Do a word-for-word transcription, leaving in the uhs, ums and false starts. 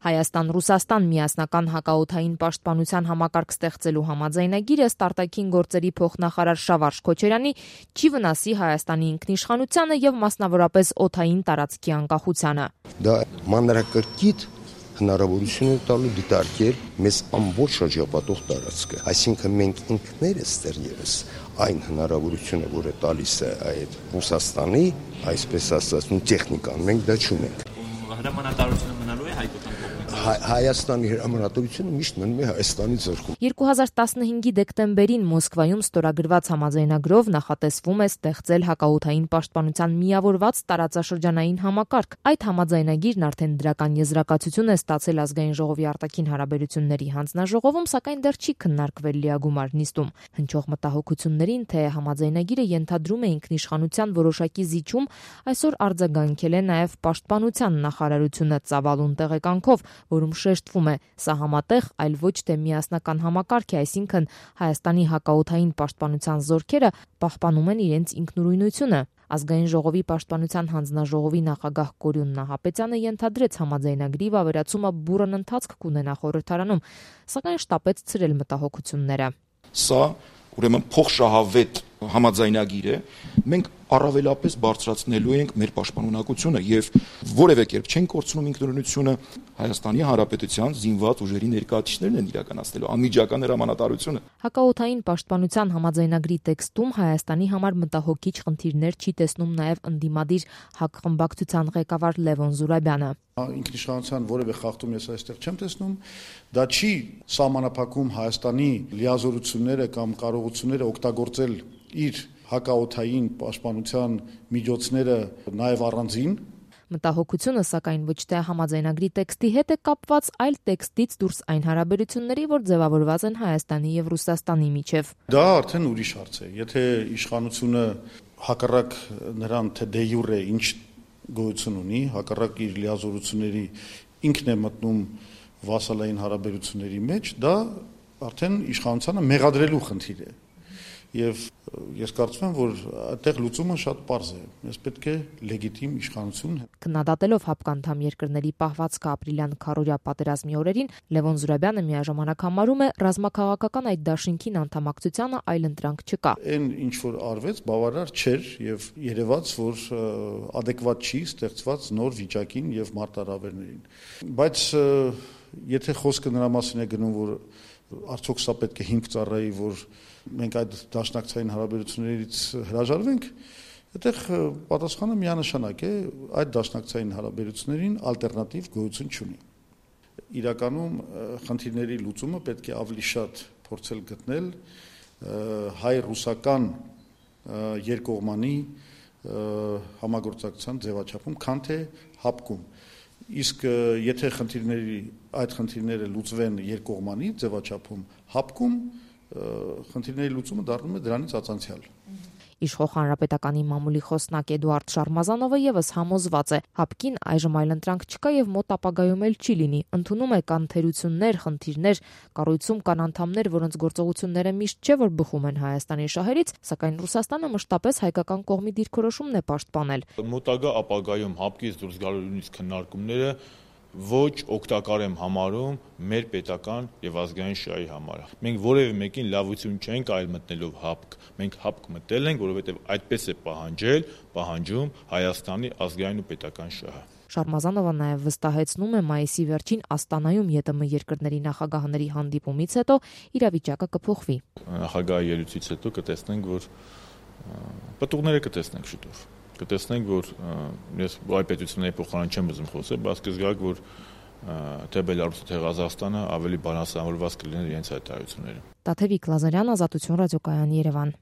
Հայաստան-Ռուսաստան միասնական հակաօդային պաշտպանության համակարգ ստեղծելու համաձայնագիրը արտաքին գործերի փոխնախարար Շավարժ Քոչարյանի չի վնասի Հայաստանի ինքնիշխանությանը եւ մասնավորապես օդային տարածքի անկախությանը։ Դա մանրակրկիտ հնարավորություն է տալու դիտարկել մեզ ամբողջ շրջապատող տարածքը, այսինքն մենք ինքներս դեռևս այն հնարավորությունը, որը տալիս է այդ Ռուսաստանի, այսպես ասած, տեխնիկան, մենք դա չունենք։ Հրամանատարությունը մնալու է հայկական կողմից։ Հայաստանի հրամանատարությունը միշտ մնում է Հայաստանի ձեռքում։ երկու հազար տասնհինգի դեկտեմբերին Մոսկվայում ստորագրված համաձայնագրով նախատեսվում է ստեղծել հակաօդային պաշտպանության միավորված տարածաշրջանային համակարգ։ Այդ համաձայնագիրն արդեն դրական եզրակացություն է ստացել Ազգային ժողովի արտաքին հարաբերությունների հանձնաժողովում, սակայն դեռ չի քննարկվել լիագումար նիստում։ Հնչող մտահոգություններին, թե համաձայնագիրը ենթադրում է ինքնիշխանության որոշակի զիջում, այսօր արձագանքել է նաև պաշտպանության նախարարությունը ծավալուն տեղեկանքով, որում շեշտվում է, սա համատեղ, այլ ոչ թե միասնական համակարգ է, այսինքն Հայաստանի հակաօդային պաշտպանության զորքերը պահպանում են իրենց ինքնուրույնությունը։ Ազգային ժողովի պաշտպանության հանձնաժողովի նախագահ Կորյուն Նահապետյանը ենթադրեց համաձայնագրի վավերացումը բուռն ընթացք կունենա խորհրդարանում, սակայն շտապեց ցրել մտահոգությունները։ Սա ուրեմն փոխշահավետ համաձայնագիր է, մենք առավելապես բարձրացնելու ենք մեր պաշտպանունակությունը եւ որևէ կերպ չենք կորցնում ինքնուրույնությունը, Հայաստանի Հանրապետության զինված ուժերի ներկայացուցիչներն են իրականացնելու անմիջական հրամանատարությունը։ Հակաօդային պաշտպանության համաձայնագրի տեքստում Հայաստանի համար մտահոգիչ խնդիրներ չի տեսնում նաև ընդդիմադիր ՀԱԿ խմբակցության ղեկավար Լևոն Զուրաբյանը։ Ինքնիշխանության որևէ խախտում ես այստեղ չեմ տեսնում, դա չի սահմանափակում Հայաստանի լիազորությունները կամ կարողությունները օգտագործել իր հակաօդային պաշտպանության միջոցները նաև առանձին։ Մտահոգությունը, սակայն ոչ թե համաձայնագրի տեքստի հետ է կապված, այլ տեքստից դուրս այն հարաբերությունների, որ ձևավորված են Հայաստանի եւ Ռուսաստանի միջև։ Դա արդեն ուրիշ հարց է։ Եթե իշխանությունը հակառակ նրան թե դե յուրե ինչ գոյություն ունի, հակառակ իր լիազորությունների ինքն է մտնում վասալային հարաբերությունների մեջ, դա արդեն իշխանությանը մեղադրելու խնդիր է։ Եվ ես կարծում եմ, որ այդտեղ լուծումը շատ պարզ է։ Ես պետք է լեգիտիմ իշխանություն։ Քննադատելով ՀԱՊԿ անդամ երկրների պահվածքը ապրիլյան քառօրյա պատերազմի օրերին, Լևոն Զուրաբյանը միաժամանակ համարում է ռազմաքաղաքական այդ դաշինքին անդամակցությանը այլ ընտրանք չկա։ Այն ինչ որ արվեց, բավարար չէր եւ երևաց, որ ադեկվատ չի ստեղծված նոր վիճակին եւ մարտահրավերներին։ Բայց եթե խոսքը նրա մասին է գնում, որ արդյոք սա պետք է հիմք ծառայի, որ մենք այդ դաշնակցային հարաբերություններից հրաժարվենք, այդտեղ պատասխանը միանշանակ է, այդ դաշնակցային հարաբերություններին ալտերնատիվ գոյություն չունի։ Իրականում խնդիրների լուծումը պետք է ավելի շատ փորձել գտնել հայ-ռուսական երկկողմանի համագործակցության ձևաչափում, քան թե ՀԱՊԿ-ում։ Իսկ եթե խնդիրների այդ խնդիրները լուծվեն երկկողմանի ձևաչափում, ՀԱՊԿ-ում խնդիրների լուծումը դառնում է դրանից ածանցյալ։ Իշխող հանրապետականի մամուլի խոսնակ Էդուարդ Շարմազանովը եւս համոզված է, ՀԱՊԿ-ին այժմ այլ ընտրանք չկա եւ մոտ ապագայում էլ չի լինի։ Ընդունում է կան թերություններ, խնդիրներ, կառույցում կան անդամներ, որոնց գործողությունները միշտ չէ որ բխում են Հայաստանի շահերից, սակայն Ռուսաստանը մշտապես հայկական կողմի դիրքորոշումն է պաշտպանել։ Մոտագա ապագայում ՀԱՊԿ-ից դուրս գալու նույնիսկ քննարկումները ոչ օգտակար եմ համարում մեր պետական եւ ազգային շահի համար։ Մենք որևէ մեկին լավություն չենք այլ մտնելով ՀԱՊԿ։ Մենք ՀԱՊԿ մտել ենք, որովհետեւ այդպես է պահանջել, պահանջում Հայաստանի ազգային ու պետական շահը։ Շարմազանովը նաև վստահեցնում է մայիսի վերջին Աստանայում ԵՏՄ երկրների նախագահների հանդիպումից հետո իրավիճակը կփոխվի։ Նախագահի ելույթից հետո կտեսնենք, որ պտուղները կտեսնենք շուտով։ Կտեսնենք, որ ես այ պետությունների փոխարեն չեմ ուզում խոսել, բայց կզգաք, որ թե Բելարուսը, թե Ղազախստանը ավելի բալանսավորված կլինեն իրենց հայտարարությունները։ Տաթևիկ Լազարյան, Ազատություն ռադիոկայան, Երևան։